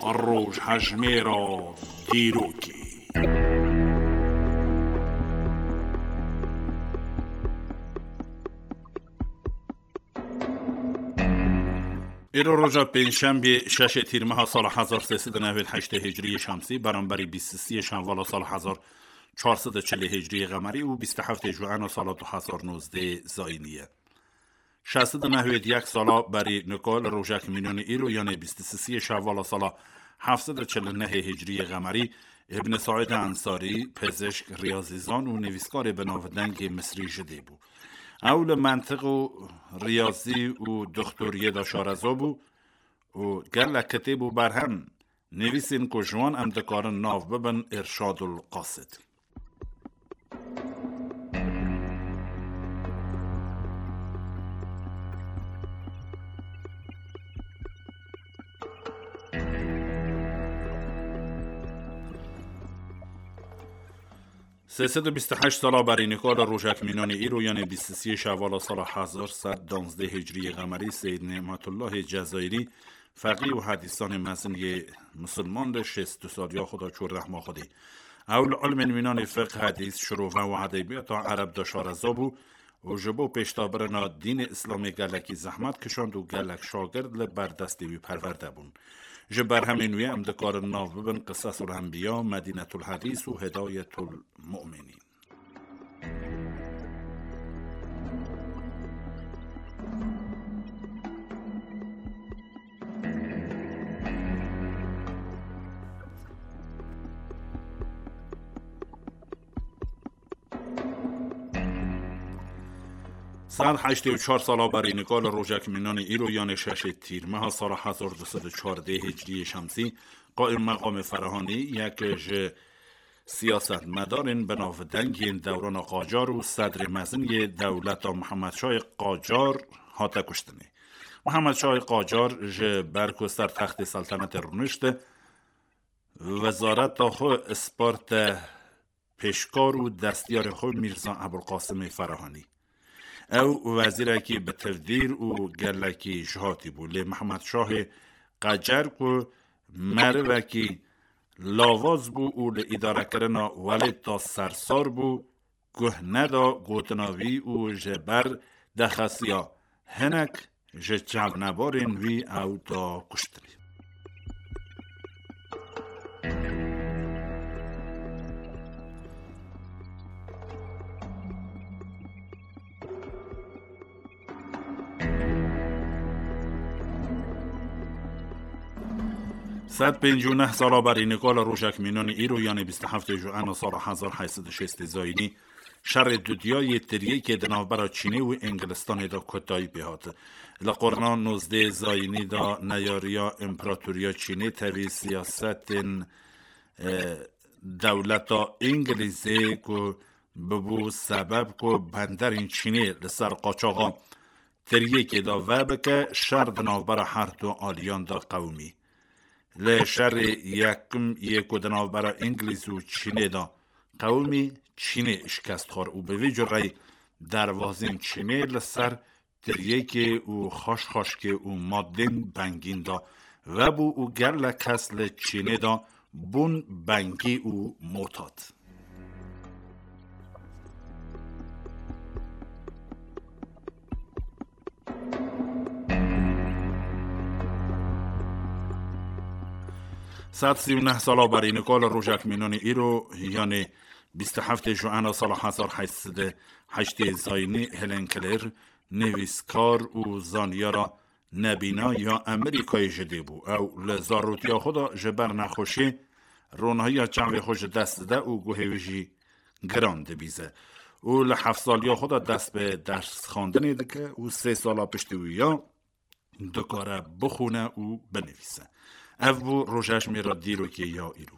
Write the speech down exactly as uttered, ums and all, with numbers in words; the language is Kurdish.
Rojhejmêra dîrokê. Îro roja pêncşembê şeşê Tîrmeha sala hezar sê sed û newêd heştê Hicriyê Şemsî, beramberî bîst û sê Şenvala sala hezar çar sed û çilê Hicriyê Qemerî û bîst û heftê Juena sala du hezar nozdeh Zayînî ye. Şeş sed û newêd yek sala berî nika li rojek mînanê îro, yanê bîst û sê Şevala sala heft sed û çil û nehê Hicriyê Qemerî, Îbn Saîd Ensarî, pizişk, riyazîzan û nivîskarê bi navdengê Misrî ji dê bû. Ew li mentiq û riyazî û doxtoriyê de şareza bû û gelek kitêb û berhem nivîsên ku ji wan em dikarin nav bibin Irşadul Qasid. Sê sed û bîst û heşt sala berî nika li rojek mînanê îro, yanê bîst û sê Şevala sala hezar sed danzdeh Hicriyê Qemerî, Seyyid Nîmetullahê Cezayirî, feqî û hedîsanê mezin yê misilman, li şêst û du saliya xwe de çû rehma Xwedê. Ew li ilmên mînanê fiqh, hedîs, şirove û edebiyata ereb de şareza bû û ji bo pêşdabirina dînê Îslamê gelekî zehmet kişand û gelek şagird li ber destê wî perwerde bûn. Ji berhemên wî em dikarin nav bibin Qisesul Enbiya, Medînetul Hedîs û Hidayetul Mu'minîn. Sed heştê û çar sala berî nika li rojek mînanê îro, yanê şeşê Tîrmeha sala hezar du sed û çardeh Hicriyê Şemsî, Qaîm Meqamê Ferahanî, yek ji siyasetmedarên bi navdeng yên dewrana Qacar û sedrê mezin yê dewleta Mihemed Şahê Qacar hate kuştinê. Mihemed Şahê Qacar ji ber ku ser textê seltenetê rûnişt, wezareta xwe sparte pêşkar û destiyarê xwe Mîrza Ebulqasimê Ferahanî. Ew wezîrekî bi tevdîr û gelekî jihatî bû, lê Mihemed Şahê Qacar ku merivekî lawaz bû û li îdarekirina welêt de sersar bû, guh neda gotina wî û ji ber dexesiya hinek ji çavnebarên wî ew da kuştinê. Sed pêncî û neh sala berî nika li rojek mînanê îro, yanê bîst û heftê Juena sala hezar heyt sed û şêstê Zayînî, şerê dudiyayê tiryekê di navbera Çînê û Îngilistanê de kotayî pê hat. Li qurna nozdeh Zayînî de neyariya Împaratoriya Çînê tevî siyasetên, e, dewleta Îngilîzê ku bibû sebeb ku benderên Çînê li ser qaçaxa tiryekê de vebike, şer di navbera her du aliyan de qewimî. Li şerê yekim yê ku di navbera Îngilîz û Çînê de qewimî, Çînê şikest xwar û bi vî cureyî derwazên Çînê li ser tiryekê û xaşxaşkê û madên bengîn de vebû û gelek kes li Çînê de bûn bengî û motat. Sed sî û neh sala berî nika li rojek mînanê îro, yanê bîst û heftê Juena sala hezar heyt sed û heştê Zayînî, Helen Keller, nivîskar û zanyara nebîna ya Amerîkayê ji dê bû. Ew li zarotiya xwe de ji ber nexweşiyê ronahiya çavê xwe ji dest dide û guhê wî jî giran dibîze. Û li heft saliya xwe de dest bi dersxwendinê dike û sê sala piştî wî ya dikare bixwîne û binivîse. Ev bû rojhejmêra dîrokê ya îro.